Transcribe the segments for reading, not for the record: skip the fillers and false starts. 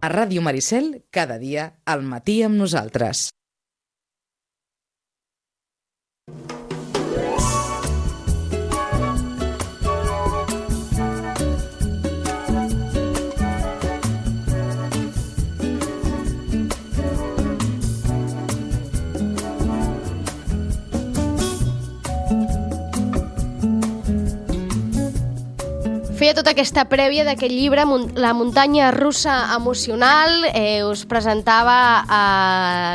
A Ràdio Maricel, cada dia, al matí amb nosaltres. Feia tota aquesta prèvia d'aquest llibre, La muntanya russa emocional. Us presentava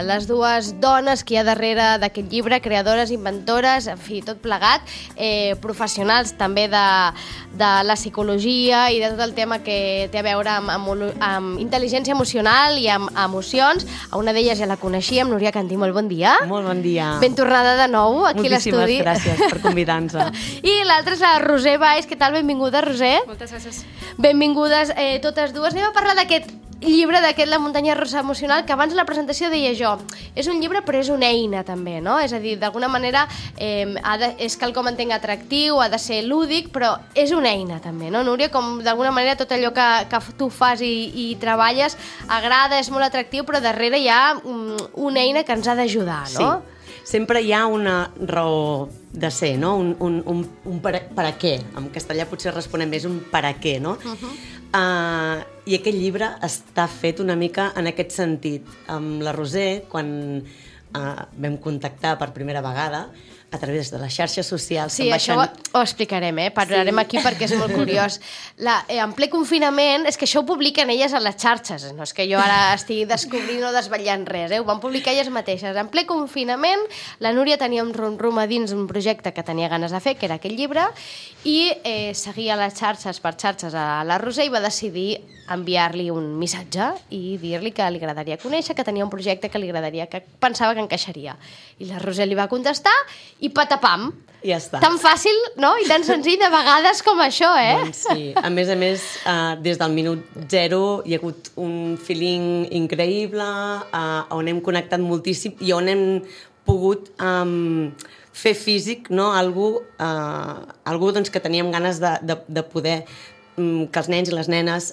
les dues dones que hi ha darrere d'aquest llibre, creadores, inventores, en fi, tot plegat, professionals també de la psicologia i de tot el tema que té a veure amb intel·ligència emocional i amb emocions. A una d'elles ja la coneixíem, Núria Cantí, molt bon dia. Molt bon dia. Ben tornada de nou aquí a l'estudi. Moltíssimes gràcies per convidar-nos. I l'altra és la Roser Valls. Què tal? Benvinguda, Roser. Moltes gràcies. Benvingudes totes dues. Anem a parlar d'aquest llibre, d'aquest La muntanya russa emocional, que abans de la presentació deia jo, és un llibre però és una eina també, no? És a dir, d'alguna manera és quelcom entenc atractiu, ha de ser lúdic, però és una eina també, no, Núria? Com d'alguna manera tot allò que tu fas i treballes agrada, és molt atractiu, però darrere hi ha una eina que ens ha d'ajudar, no? Sí. Sempre hi ha una raó de ser, no? Un per a què. En castellà potser responem més un per a què, no? I aquest llibre està fet una mica en aquest sentit. Amb la Roser, quan vam contactar per primera vegada, a través de les xarxes socials... Sí, això ho explicarem, parlarem aquí perquè és molt curiós. En ple confinament, és que això ho publiquen elles a les xarxes, no és que jo ara estigui descobrint o desvetllant res, ho van publicar elles mateixes. En ple confinament, la Núria tenia un rum-rum a dins un projecte que tenia ganes de fer, que era aquest llibre, i seguia les xarxes per xarxes a la Roser i va decidir enviar-li un missatge i dir-li que li agradaria conèixer, que tenia un projecte que li agradaria, que pensava que encaixaria. I la Roser li va contestar i patapam. Ja està. Tan fàcil, no? I tan senzill de vegades com això, Doncs sí. A més, des del minut zero hi ha hagut un feeling increïble, on hem connectat moltíssim i on hem pogut fer físic, no? Algú doncs, que teníem ganes de poder que els nens i les nenes,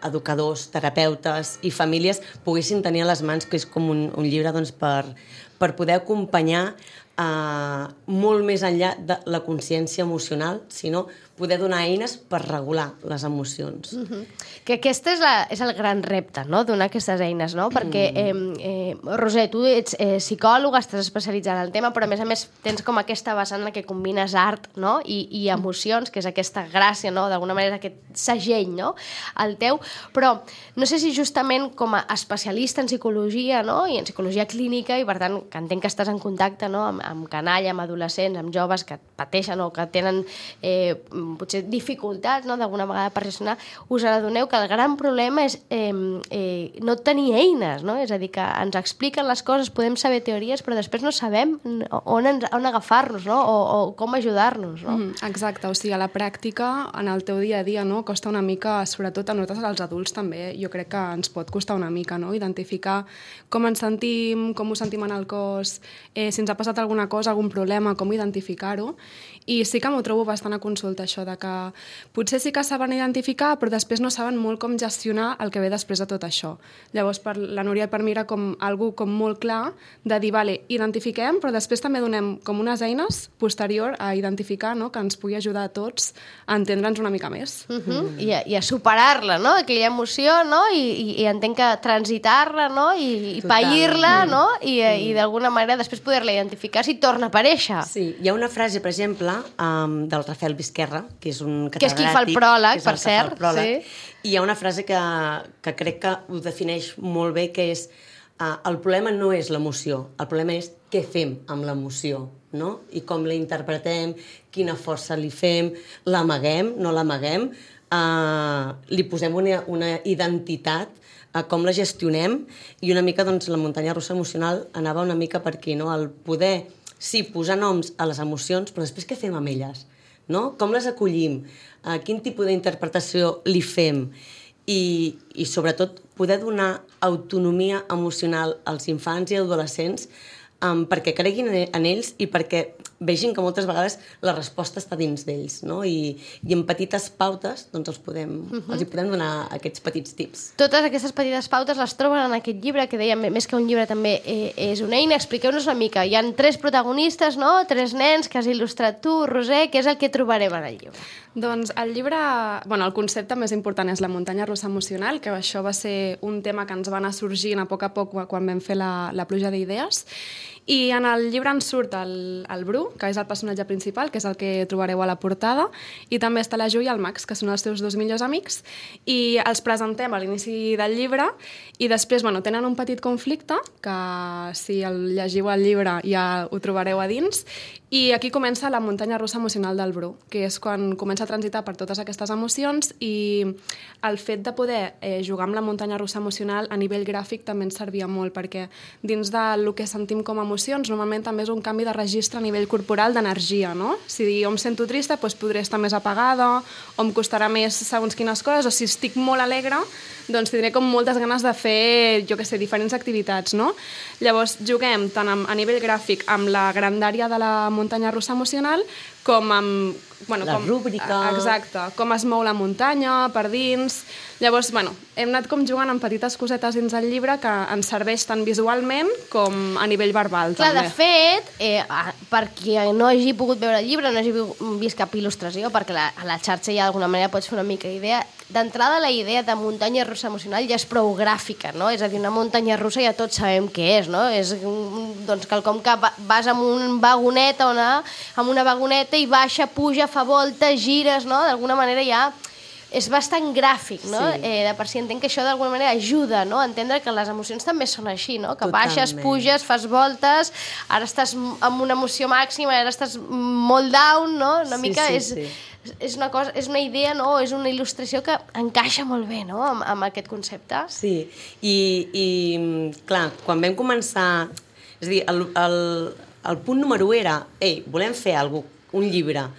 educadors, terapeutes i famílies poguessin tenir a les mans, que és com un llibre doncs, per poder acompanyar molt més enllà de la consciència emocional, sinó poder donar eines per regular les emocions. Que aquest és el gran repte, no?, donar aquestes eines, no? Perquè, Roser, tu ets psicòloga, estàs especialitzada en el tema, però a més tens com aquesta vessant en què combines art, no?, i emocions, que és aquesta gràcia, no?, d'alguna manera aquest segell, no?, el teu. Però no sé si justament com a especialista en psicologia, no?, i en psicologia clínica, i per tant que entenc que estàs en contacte, no?, amb canalla, amb adolescents, amb joves que pateixen o que tenen potser dificultats, no?, d'alguna vegada per reaccionar, us adoneu que el gran problema és no tenir eines, no? És a dir, que ens expliquen les coses, podem saber teories, però després no sabem on agafar-nos, no?, o com ajudar-nos, no? Exacte, o sigui, a la pràctica, en el teu dia a dia, no?, costa una mica, sobretot a nosaltres, als adults també, jo crec que ens pot costar una mica, no?, identificar com ens sentim, com ho sentim en el cos, si ens ha passat alguna cosa, algun problema, com identificar-ho. I sí que m'ho trobo bastant a consulta, això de que potser sí que saben identificar, però després no saben molt com gestionar el que ve després de tot això. Llavors, per la Núria i per mi era com algú com molt clar de dir, vale, identifiquem, però després també donem com unes eines posterior a identificar, no?, que ens pugui ajudar a tots a entendre'ns una mica més. I a superar-la, no?, aquella emoció, no?, i entenc que transitar-la, no?, i pair-la, no?, i d'alguna manera després poder-la identificar si torna a aparèixer. Sí, hi ha una frase, per exemple, del Rafael Vizquerra, que és un catedràtic... Que és qui fa el pròleg, per cert. Sí. I hi ha una frase que crec que ho defineix molt bé, que és el problema no és l'emoció, el problema és què fem amb l'emoció, no? I com la interpretem, quina força li fem, l'amaguem, no l'amaguem, li posem una identitat, com la gestionem, i una mica doncs, la muntanya russa emocional anava una mica per aquí, no? El poder, sí, posar noms a les emocions, però després què fem amb elles? No? Com les acollim? Quin tipus d'interpretació li fem? I sobretot poder donar autonomia emocional als infants i adolescents perquè creguin en ells i perquè vegin que moltes vegades la resposta està dins d'ells, no? I en petites pautes doncs els hi podem donar aquests petits tips. Totes aquestes petites pautes les troben en aquest llibre, que dèiem, més que un llibre també és una eina. Expliqueu-nos una mica. Hi ha 3 protagonistes, no? 3 nens que has il·lustrat tu, Roser. Què és el que trobarem en el llibre? Doncs el llibre, el concepte més important és la muntanya russa emocional, que això va ser un tema que ens va anar sorgint a poc quan vam fer la pluja d'idees. I en el llibre ens surt el Bru, que és el personatge principal, que és el que trobareu a la portada, i també està la Ju i el Max, que són els seus 2 millors amics, i els presentem a l'inici del llibre, i després tenen un petit conflicte, que si el llegiu al llibre ja ho trobareu a dins, i aquí comença la muntanya russa emocional del Bru, que és quan comença a transitar per totes aquestes emocions, i el fet de poder jugar amb la muntanya russa emocional a nivell gràfic també ens servia molt, perquè dins del que sentim com a emocions, normalment també és un canvi de registre a nivell corporal d'energia, no? Si jo em sento trista, doncs podré estar més apagada, o em costarà més segons quines coses, o si estic molt alegre, doncs tindré com moltes ganes de fer, diferents activitats, no? Llavors, juguem tant a nivell gràfic amb la grandària de la muntanya russa emocional, com amb... la rúbrica... Exacte, com es mou la muntanya, per dins... Llavors, hem anat com jugant amb petites cosetes dins el llibre que ens serveix tant visualment com a nivell verbal, Clar, també. de fet, per qui no hagi pogut veure el llibre, no hagi vist cap il·lustració, perquè a la xarxa ja d'alguna manera pots fer una mica d'idea, d'entrada la idea de muntanya russa emocional ja és prou gràfica, no? És a dir, una muntanya russa ja tots sabem què és, no? És quelcom que vas amb un vagonet amb una vagoneta i baixa, puja, fa voltes, gires, no? D'alguna manera ja és bastant gràfic, no? Sí. De per si entenc que això d'alguna manera ajuda, no? A entendre que les emocions també són així, no? Que baixes, puges, fas voltes, ara estàs amb una emoció màxima, ara estàs molt down, no? Una mica és una cosa, és una idea, no? És una il·lustració que encaixa molt bé, no? Amb aquest concepte. Sí, i clar, quan vam començar... És a dir, el punt número 1 era volem fer un llibre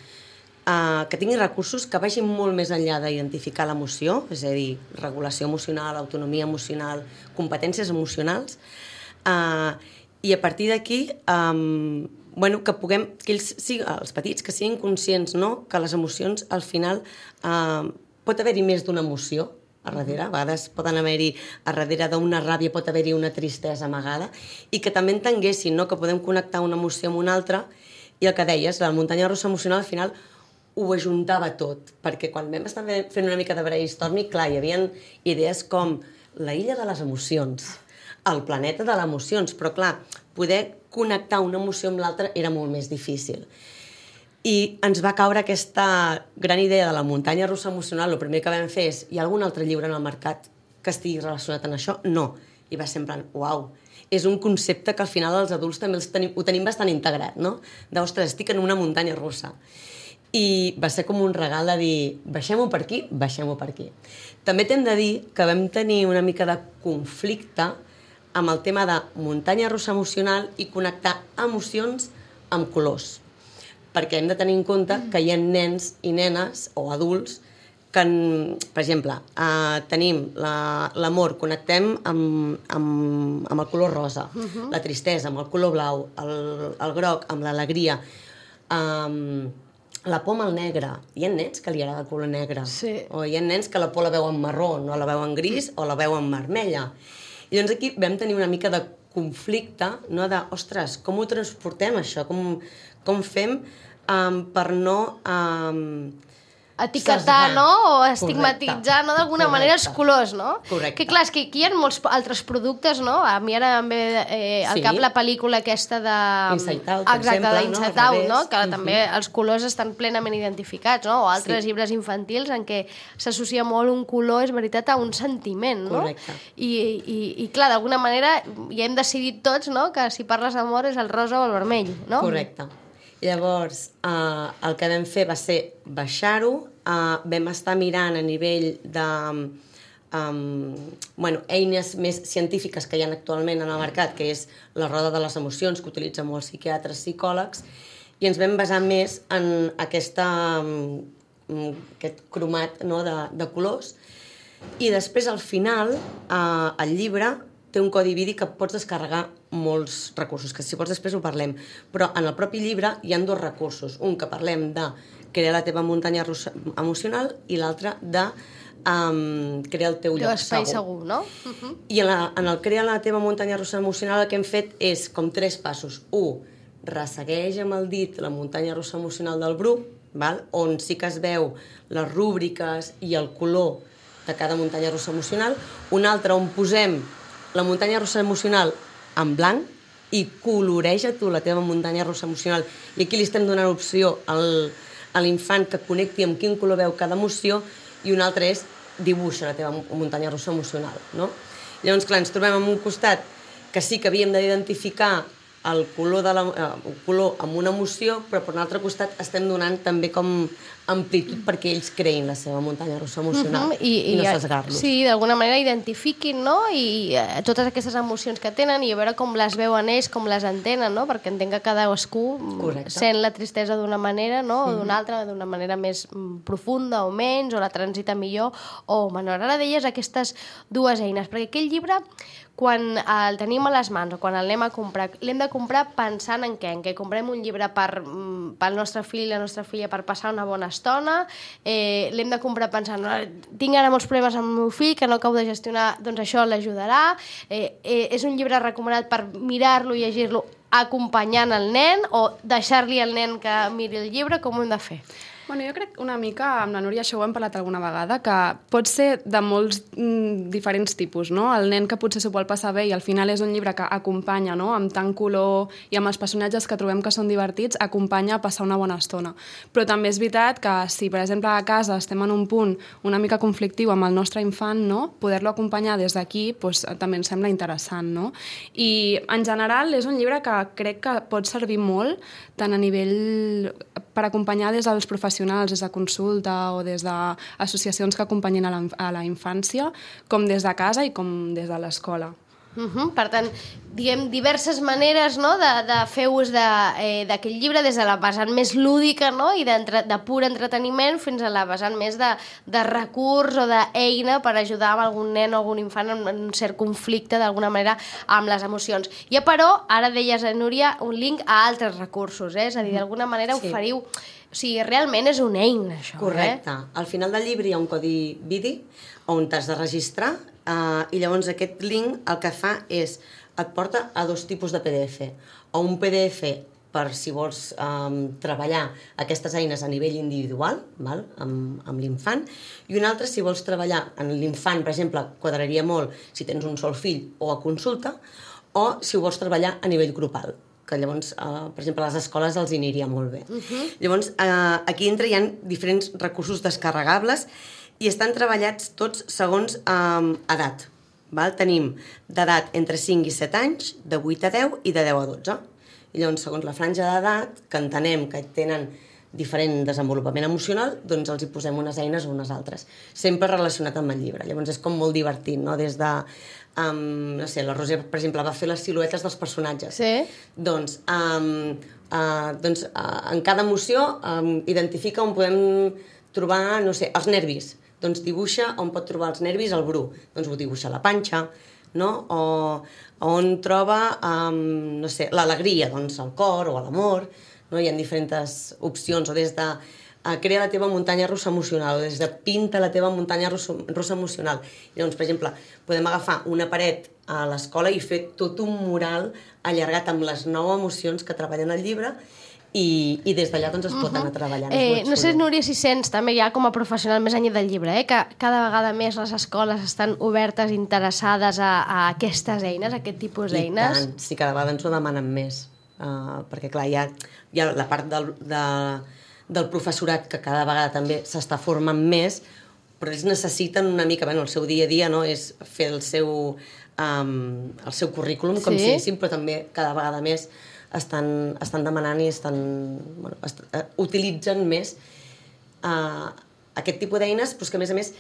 que tingui recursos que vagin molt més enllà d'identificar l'emoció, és a dir, regulació emocional, autonomia emocional, competències emocionals, i a partir d'aquí que puguem, que ells, els petits, que siguin conscients, no? Que les emocions, al final, pot haver-hi més d'una emoció a darrere, a vegades poden haver-hi, a darrere d'una ràbia pot haver-hi una tristesa amagada, i que també entenguessin, no? Que podem connectar una emoció amb una altra, i el que deies, la muntanya russa emocional, al final, ho ajuntava tot, perquè quan vam estar fent una mica de brainstorming, clar, hi havia idees com la illa de les emocions, el planeta de les emocions, però clar, poder connectar una emoció amb l'altra era molt més difícil. I ens va caure aquesta gran idea de la muntanya russa emocional. El primer que vam fer és, hi ha algun altre llibre en el mercat que estigui relacionat amb això? No. I va ser en plan, uau, és un concepte que al final els adults també ho tenim bastant integrat, no? Ostres, estic en una muntanya russa. I va ser com un regal de dir, baixem-ho per aquí, baixem-ho per aquí. També t'hem de dir que vam tenir una mica de conflicte amb el tema de muntanya russa emocional i connectar emocions amb colors. Perquè hem de tenir en compte que hi ha nens i nenes o adults que, per exemple, tenim l'amor, connectem amb el color rosa, la tristesa amb el color blau, el groc amb l'alegria, la por amb el negre. Hi ha nens que li agrada el color negre. Sí. O hi ha nens que la por la veuen marró, no la veuen gris o la veuen vermella. I doncs aquí vam tenir una mica de conflicte, no? De, ostres, com ho transportem això? Com fem per no... etiquetar, no? O estigmatitzar, no? D'alguna manera els colors, no? Correcte. Que clar, és que aquí hi ha molts altres productes, no? A mi ara em ve al cap la pel·lícula aquesta de... Inside Out, per exemple, exacte, d'Inside Out, no? Que Uh-huh. també els colors estan plenament identificats, no? O altres llibres infantils en què s'associa molt un color, és veritat, a un sentiment, no? Correcte. I clar, d'alguna manera ja hem decidit tots, no? Que si parles d'amor és el rosa o el vermell, no? Correcte. Llavors, el que vam fer va ser baixar-ho, vam estar mirant a nivell de eines més científiques que hi ha actualment en el mercat, que és la roda de les emocions, que utilitzen molts psiquiatres, psicòlegs, i ens vam basar més en aquest cromat, no, de colors. I després, al final, el llibre té un codi BIDI que pots descarregar molts recursos, que si vols després ho parlem. Però en el propi llibre hi ha 2 recursos. Un que parlem de crear la teva muntanya russa emocional i l'altre de crear el teu lloc espai segur, no? I en el crear la teva muntanya russa emocional el que hem fet és com 3 passos. 1, ressegueix amb el dit la muntanya russa emocional del Bru, val? On sí que es veu les rúbriques i el color de cada muntanya russa emocional. Un altre on posem la muntanya russa emocional en blanc i coloreja tu la teva muntanya russa emocional. I aquí li estem donant opció a l'infant que connecti amb quin color veu cada emoció, i un altre és dibuixa la teva muntanya russa emocional, no? Llavors, clar, ens trobem en un costat que sí que havíem d'identificar el color amb una emoció, però per un altre costat estem donant també com amplitud perquè ells creïn la seva muntanya russa emocional i no sesgar-los. Sí, d'alguna manera identifiquin, no? I totes aquestes emocions que tenen i a veure com les veuen ells, com les entenen, no? Perquè entenc que cadascú sent la tristesa d'una manera, no? O d'una altra, d'una manera més profunda o menys, o la transita millor o menor. Ara deies aquestes 2 eines, perquè aquell llibre, quan el tenim a les mans o quan el anem a comprar, l'hem de comprar pensant en què? En què comprem un llibre pel nostre fill i la nostra filla per passar una bona estona, l'hem de comprar pensant tinc ara molts problemes amb el meu fill que no acabo de gestionar, doncs això l'ajudarà, és un llibre recomanat per mirar-lo i llegir-lo acompanyant el nen o deixar-li al nen que miri el llibre, com ho hem de fer? Bueno, jo crec una mica, amb la Núria això ho hem parlat alguna vegada, que pot ser de molts diferents tipus, no? El nen que potser s'ho vol passar bé i al final és un llibre que acompanya, no? Amb tant color i amb els personatges que trobem que són divertits, acompanya a passar una bona estona. Però també és veritat que si, per exemple, a casa estem en un punt una mica conflictiu amb el nostre infant, no? Poder-lo acompanyar des d'aquí doncs, també ens sembla interessant, no? I en general és un llibre que crec que pot servir molt tant a nivell per acompanyar des dels professionals, des de consulta o des d'associacions que acompanyin a la infància, com des de casa i com des de l'escola. Per tant, diguem, diverses maneres, no?, de fer ús d'aquest llibre, des de la vessant més lúdica, no?, i de pur entreteniment fins a la vessant més de recurs o d'eina per ajudar amb algun nen o algun infant en un cert conflicte, d'alguna manera, amb les emocions. I però, ara deies, Núria, un link a altres recursos, és a dir, d'alguna manera oferiu... O sigui, realment és una eina, això. Correcte. Al final del llibre hi ha un codi BIDI on t'has de registrar i llavors aquest link el que fa és et porta a 2 tipus de PDF. O un PDF per si vols treballar aquestes eines a nivell individual, val? Amb l'infant, i un altre si vols treballar en l'infant, per exemple, quadraria molt si tens un sol fill o a consulta, o si ho vols treballar a nivell grupal, que llavors, per exemple, a les escoles els aniria molt bé. Llavors, aquí dintre hi ha diferents recursos descarregables i estan treballats tots segons edat. Tenim d'edat entre 5 i 7 anys, de 8 a 10 i de 10 a 12. I llavors, segons la franja d'edat, que entenem que tenen diferent desenvolupament emocional, doncs els hi posem unes eines o unes altres. Sempre relacionat amb el llibre. Llavors és com molt divertit, no? Des de... no sé, la Roser, per exemple, va fer les siluetes dels personatges. Sí. Doncs en cada emoció identifica on podem trobar, no sé, els nervis. Doncs dibuixa on pot trobar els nervis el Bru. Doncs ho dibuixa a la panxa, no? O on troba, no sé, l'alegria, doncs al cor o a l'amor, no? Hi ha diferents opcions, o des de crea la teva muntanya russa emocional, o des de pinta la teva muntanya russa emocional. I llavors, per exemple, podem agafar una paret a l'escola i fer tot un mural allargat amb les 9 emocions que treballen al llibre i des d'allà doncs, es pot anar treballant. No sé, Núria, si sents també ja com a professional més enllà del llibre, que cada vegada més les escoles estan obertes, interessades a aquestes eines, a aquest tipus d'eines. I tant, sí, cada vegada ens ho demanen més, perquè clar, hi ha la part del professorat que cada vegada també s'està formant més, però ells necessiten una mica, el seu dia a dia, no? És fer el seu currículum, com si diguéssim, però també cada vegada més estan demanant i utilitzen més aquest tipus d'eines, però que a més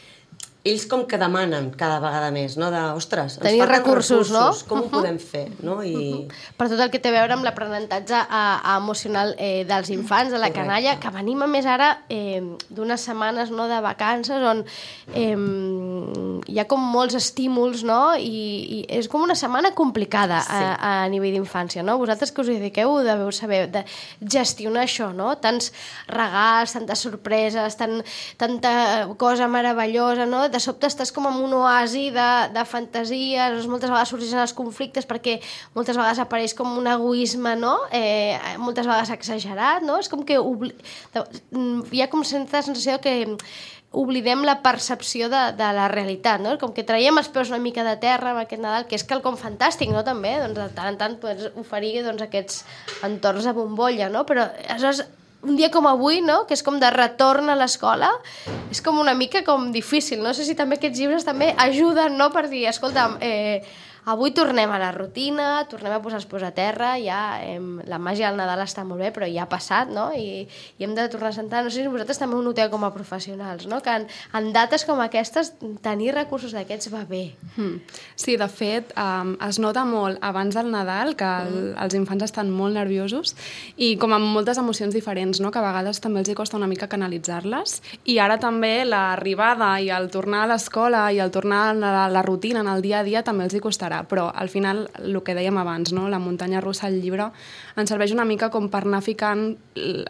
ells com que demanen cada vegada més, no? Ostres, ens tenir falten recursos, no? Com ho podem fer, no? Per tot el que té a veure amb l'aprenentatge emocional dels infants, de la canalla, que venim a més ara d'unes setmanes de vacances on hi ha com molts estímuls, no? I és com una setmana complicada a nivell d'infància, no? Vosaltres que us hi dediqueu deveu saber de gestionar això, no? Tants regals, tantes sorpreses, tanta cosa meravellosa, no? De sobte estàs com en un oasi de fantasies, moltes vegades sorgeixen els conflictes perquè moltes vegades apareix com un egoisme, no? Moltes vegades exagerat, no? És com que hi ha com certa sensació que oblidem la percepció de la realitat, no? Com que traiem els peus una mica de terra amb aquest Nadal, que és quelcom fantàstic, no? També, doncs de tant en tant pots oferir aquests entorns de bombolla, no? Però aleshores un dia com avui, no? Que és com de retorn a l'escola, és com una mica com difícil. No sé si també aquests llibres també ajuden, no? Per dir, escolta, avui tornem a la rutina, tornem a posar els peus a terra, ja la màgia del Nadal està molt bé, però ja ha passat, no? I hem de tornar a sentar. No sé si vosaltres també ho noteu com a professionals, no? Que en dates com aquestes tenir recursos d'aquests va bé. Sí, de fet, es nota molt abans del Nadal que els infants estan molt nerviosos i com amb moltes emocions diferents, no? Que a vegades també els costa una mica canalitzar-les, i ara també l'arribada i el tornar a l'escola i el tornar a la rutina en el dia a dia també els costarà. Però al final, el que dèiem abans, no? La muntanya russa al llibre ens serveix una mica com per anar ficant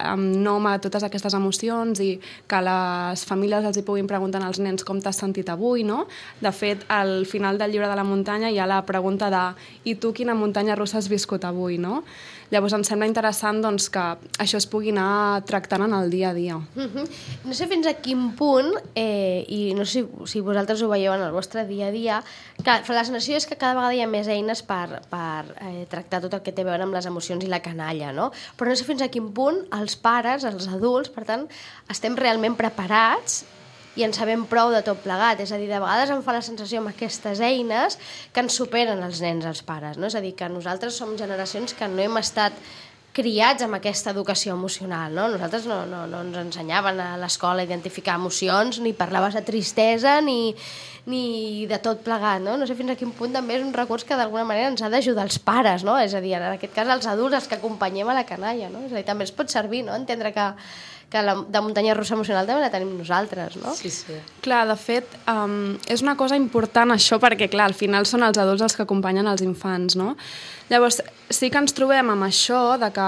nom a totes aquestes emocions i que les famílies els hi puguin preguntar als nens com t'has sentit avui, no? De fet, al final del llibre de la muntanya hi ha la pregunta de i tu quina muntanya russa has viscut avui, no? Llavors em sembla interessant doncs, que això es pugui anar tractant en el dia a dia. No sé fins a quin punt, i no sé si vosaltres ho veieu en el vostre dia a dia, que la sensació és que cada vegada hi ha més eines per tractar tot el que té a veure amb les emocions i la canalla, no? Però no sé fins a quin punt els pares, els adults, per tant, estem realment preparats i en sabem prou de tot plegat. És a dir, de vegades em fa la sensació amb aquestes eines que ens superen els nens, els pares, no? És a dir, que nosaltres som generacions que no hem estat criats amb aquesta educació emocional, no? Nosaltres no ens ensenyaven a l'escola a identificar emocions, ni parlaves de tristesa, ni de tot plegat, no? No sé fins a quin punt també és un recurs que d'alguna manera ens ha d'ajudar els pares, no? És a dir, en aquest cas els adults, els que acompanyem a la canalla, no? És a dir, també ens pot servir, no? Entendre que la muntanya russa emocional també la tenim nosaltres, no? Sí, sí. Clar, de fet, és una cosa important això perquè, clar, al final són els adults els que acompanyen els infants, no? Llavors, sí que ens trobem amb això de que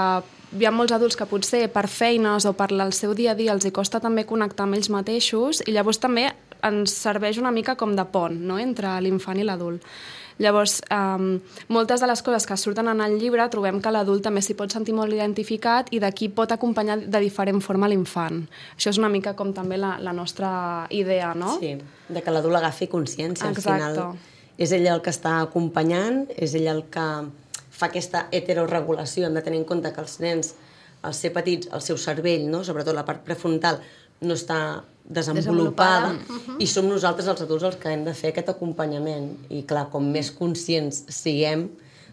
hi ha molts adults que potser per feines o per el seu dia a dia els hi costa també connectar amb ells mateixos i llavors també ens serveix una mica com de pont, no?, entre l'infant i l'adult. Llavors, moltes de les coses que surten en el llibre trobem que l'adult també s'hi pot sentir molt identificat i d'aquí pot acompanyar de diferent forma l'infant. Això és una mica com també la nostra idea, no? Sí, de que l'adult agafi consciència. Exacte. Al final és ell el que està acompanyant, és ell el que fa aquesta heteroregulació. Hem de tenir en compte que els nens, al ser petits, el seu cervell, no? Sobretot la part prefrontal, no està desenvolupada. I som nosaltres els adults els que hem de fer aquest acompanyament i clar, com més conscients siguem,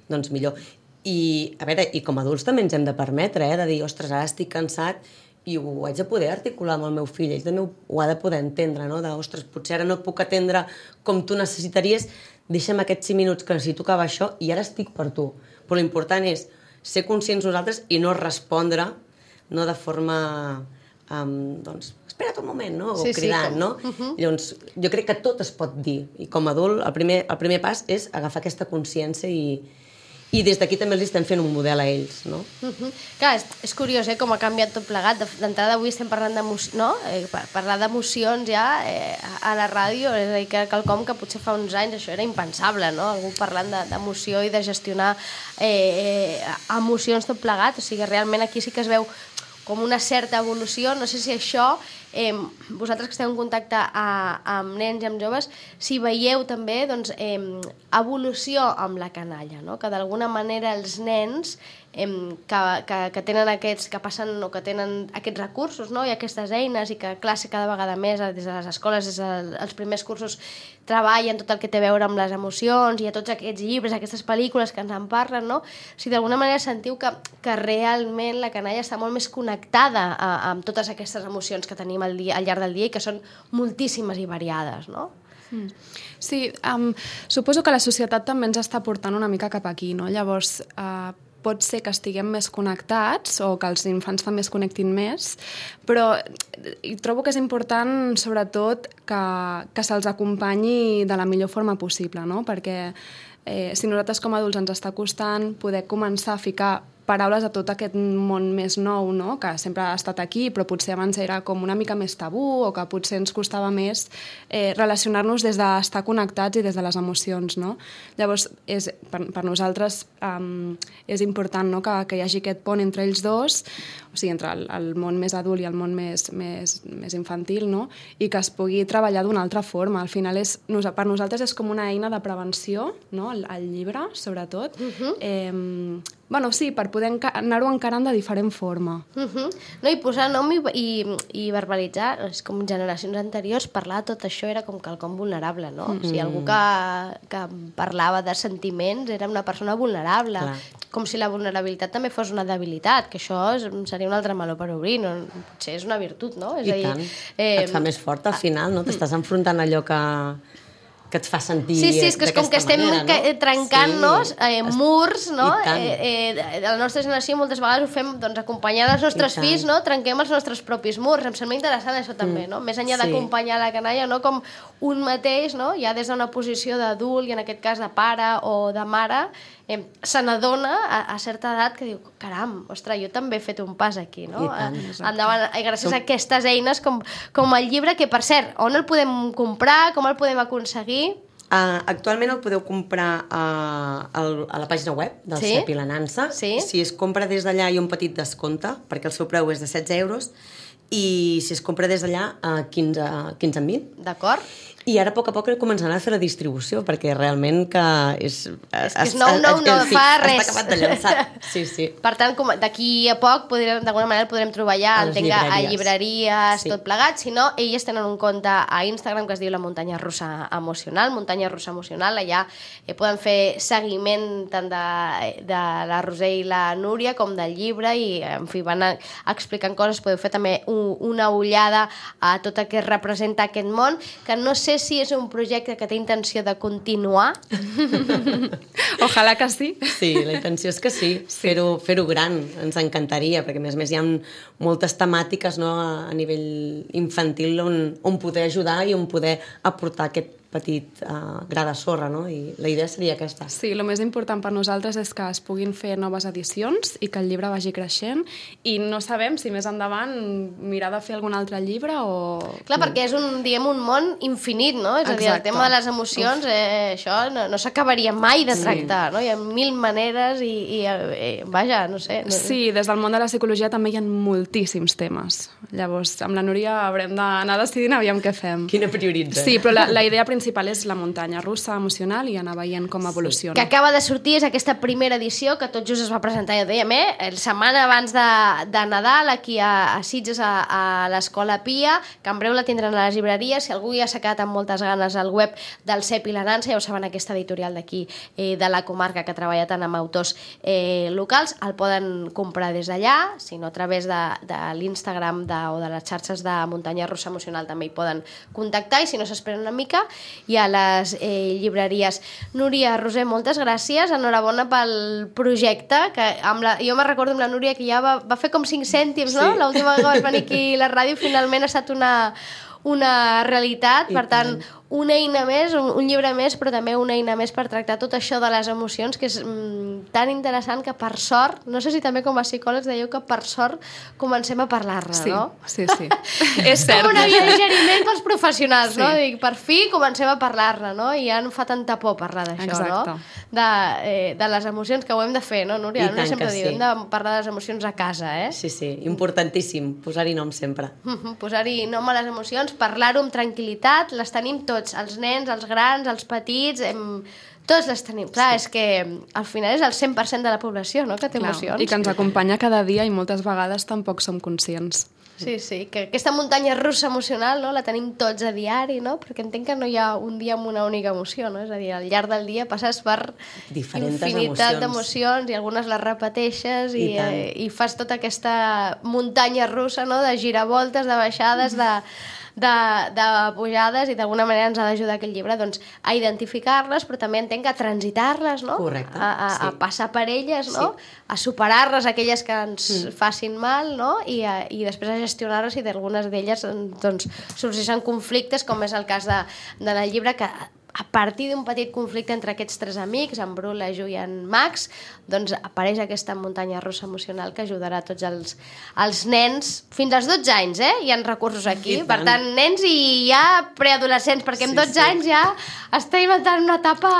doncs millor. I a veure, i com a adults també ens hem de permetre, de dir, ostres, ara estic cansat i ho haig de poder articular amb el meu fill, ell també ho ha de poder entendre, no? De, ostres, potser ara no et puc atendre com tu necessitaries, deixa'm aquests 5 minuts que necessito acabar això i ara estic per tu. Però l'important és ser conscients nosaltres i no respondre, no de forma doncs, espera't un moment, no? O cridant, no? Llavors, jo crec que tot es pot dir. I com a adult, el primer pas és agafar aquesta consciència i des d'aquí també els estem fent un model a ells, no? Clar, és curiós, com ha canviat tot plegat. D'entrada avui estem parlant d'emocions, no? Parlar d'emocions ja a la ràdio, és a dir, que quelcom que potser fa uns anys això era impensable, no? Algú parlant d'emoció i de gestionar emocions tot plegat. O sigui, realment aquí sí que es veu com una certa evolució. No sé si això, vosaltres que esteu en contacte amb nens i amb joves, si veieu també doncs, evolució amb la canalla, no? Que d'alguna manera els nens que tenen aquests, que passen o que tenen aquests recursos, no? I aquestes eines, i que classe cada vegada més des de les escoles, des dels primers cursos, treballen tot el que té a veure amb les emocions, i a tots aquests llibres, aquestes pel·lícules que ens en parlen, no? O sigui, d'alguna manera sentiu que realment la canalla està molt més connectada amb totes aquestes emocions que tenim al llarg del dia i que són moltíssimes i variades, no? Sí, suposo que la societat també ens està portant una mica cap aquí, no? Llavors, pot ser que estiguem més connectats o que els infants també es connectin més, però trobo que és important, sobretot, que se'ls acompanyi de la millor forma possible, no? Perquè si nosaltres com a adults ens està costant poder començar a ficar paraules a tot aquest món més nou, no? Que sempre ha estat aquí, però potser abans era com una mica més tabú o que potser ens costava més relacionar-nos des d'estar connectats i des de les emocions, no? Llavors, per nosaltres és important, no? que hi hagi aquest pont entre ells dos, o sigui, entre el món més adult i el món més infantil, no? I que es pugui treballar d'una altra forma. Al final, per nosaltres és com una eina de prevenció, no? El llibre, sobretot. Bueno, sí, per poder anar-ho encarant de diferent forma. No, i posar nom i verbalitzar, és com generacions anteriors, parlar de tot això era com quelcom vulnerable, no? O sigui, algú que parlava de sentiments era una persona vulnerable. Com si la vulnerabilitat també fos una debilitat, que això seria un altre meló per obrir, no? Potser és una virtut, no? És I tant, et fa més fort al final, no? T'estàs enfrontant allò que et fa sentir sí, és que és com que estem trencant-nos murs, no? La nostra generació moltes vegades ho fem acompanyant els nostres fills, no? Trenquem els nostres propis murs. Em sembla interessant això també, no? Més enllà d'acompanyar la canalla, no? Com un mateix, no? Ja des d'una posició d'adult, i en aquest cas de pare o de mare, se n'adona a certa edat que diu, caram, ostres, jo també he fet un pas aquí, no? Endavant, gràcies a aquestes eines com el llibre, que per cert, on el podem comprar, com el podem aconseguir? Actualment el podeu comprar a la pàgina web del CEP i la Nansa. Si es compra des d'allà hi ha un petit descompte, perquè el seu preu és de 16 euros, i si es compra des d'allà 15 en 20. D'acord. I ara a poc començaran a fer la distribució, perquè realment que és... És que és nou, no fa res. Està acabat de llançar. Sí. Per tant, d'aquí a poc, d'alguna manera el podrem trobar ja a llibreries, tot plegat. Si no, elles tenen un compte a Instagram que es diu La Muntanya Russa Emocional, Muntanya Russa Emocional. Allà poden fer seguiment tant de la Roser i la Núria com del llibre, i en fi, van explicant coses. Podeu fer també una ullada a tot el que representa aquest món, que no sé si és un projecte que té intenció de continuar. Ojalà que sí. Sí, la intenció és que sí, fer-ho gran, ens encantaria, perquè a més hi ha moltes temàtiques, no, a nivell infantil on poder ajudar i on poder aportar aquest petit gra de sorra, no? I la idea seria aquesta. Sí, el més important per nosaltres és que es puguin fer noves edicions i que el llibre vagi creixent, i no sabem si més endavant mirar de fer algun altre llibre o... Clar, perquè és un món infinit, no? És a dir, el tema de les emocions, això no s'acabaria mai de tractar, no? Hi ha 1000 maneres i vaja, no sé. Sí, des del món de la psicologia també hi ha moltíssims temes. Llavors, amb la Núria haurem d'anar decidint aviam què fem. Quina prioritza. Sí, però la idea principal és la muntanya russa emocional i anar veient com evoluciona. Que acaba de sortir, és aquesta primera edició que tot just es va presentar, ja ho dèiem, la setmana abans de Nadal, aquí a Sitges, a l'Escola Pia, que en breu la tindran a les llibreries. Si algú ja s'ha quedat amb moltes ganes al web del CEP i la Nansa, ja ho saben, aquesta editorial d'aquí, de la comarca, que treballa tant amb autors locals, el poden comprar des d'allà, si no a través de l'Instagram o de les xarxes de Muntanya Russa Emocional també hi poden contactar, i si no s'esperen una mica, i a les llibreries. Núria, Roser, moltes gràcies, enhorabona pel projecte, que jo me recordo amb la Núria que ja va fer com 5 cèntims, no? L'última vegada que vas venir aquí a la ràdio, finalment ha estat una realitat, per tant, una eina més, un llibre més, però també una eina més per tractar tot això de les emocions, que és tan interessant que, per sort, no sé si també com a psicòlegs dèieu que per sort comencem a parlar-ne, no? Sí. És cert. Com una via de digeriment pels professionals, no? Dic, per fi comencem a parlar-ne, no? I ja no fa tanta por parlar d'això, no? De les emocions, que ho hem de fer, no, Núria? No sempre diu, hem de parlar de les emocions a casa, eh? Sí, importantíssim, posar-hi nom sempre. Posar-hi nom a les emocions, parlar-ho amb tranquil·litat, les tenim tots, els nens, els grans, els petits, tots les tenim. Clar, és que al final és el 100% de la població, no?, que té emocions. I que ens acompanya cada dia i moltes vegades tampoc som conscients. Sí, que aquesta muntanya russa emocional, no?, la tenim tots a diari, no?, perquè entenc que no hi ha un dia amb una única emoció, no?, és a dir, al llarg del dia passes per infinitat d'emocions i algunes les repeteixes i fas tota aquesta muntanya russa, no?, de giravoltes, de baixades, de pujades i d'alguna manera ens ha d'ajudar aquest llibre doncs, a identificar-les, però també entenc que a transitar-les, no? Correcte, a passar per elles, no? A superar-les, aquelles que ens facin mal, no? I després a gestionar-les i d'algunes d'elles doncs, sorgeixen conflictes, com és el cas de la llibre, que a partir d'un petit conflicte entre aquests tres amics, en Bru, la Ju i en Max, doncs apareix aquesta muntanya russa emocional que ajudarà a tots els nens, fins als 12 anys, hi ha recursos aquí, per tant, nens i ja preadolescents, perquè amb 12 anys ja estem entrant en una etapa...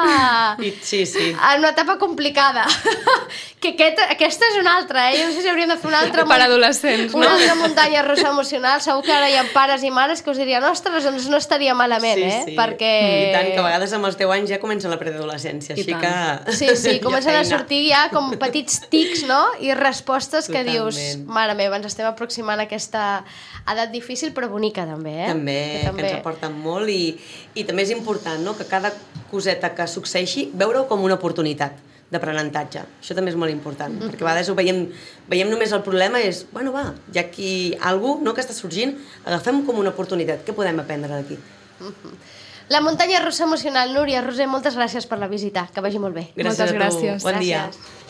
en una etapa complicada. Que aquesta és una altra, jo no sé si hauríem de fer una altra... Per adolescents, no? Una altra muntanya russa emocional, segur que ara hi ha pares i mares que us dirien, ostres, doncs no estaria malament, perquè... I tant, que a vegades amb els 10 anys ja comença la preadolescència, així que... Sí, comencen a sortir ja com petits tics, no? I respostes que dius, mare meva, ens estem aproximant a aquesta edat difícil però bonica també, També, que ens aporten molt i també és important, no?, que cada coseta que succeeixi veure-ho com una oportunitat d'aprenentatge. Això també és molt important, perquè a vegades ho veiem només el problema és, bueno, va, hi ha aquí algú, no?, que està sorgint, agafem com una oportunitat, què podem aprendre d'aquí? La muntanya russa emocional. Núria, Roser, moltes gràcies per la visita, que vagi molt bé. Gràcies a tu. Moltes gràcies. Bon dia. Gràcies.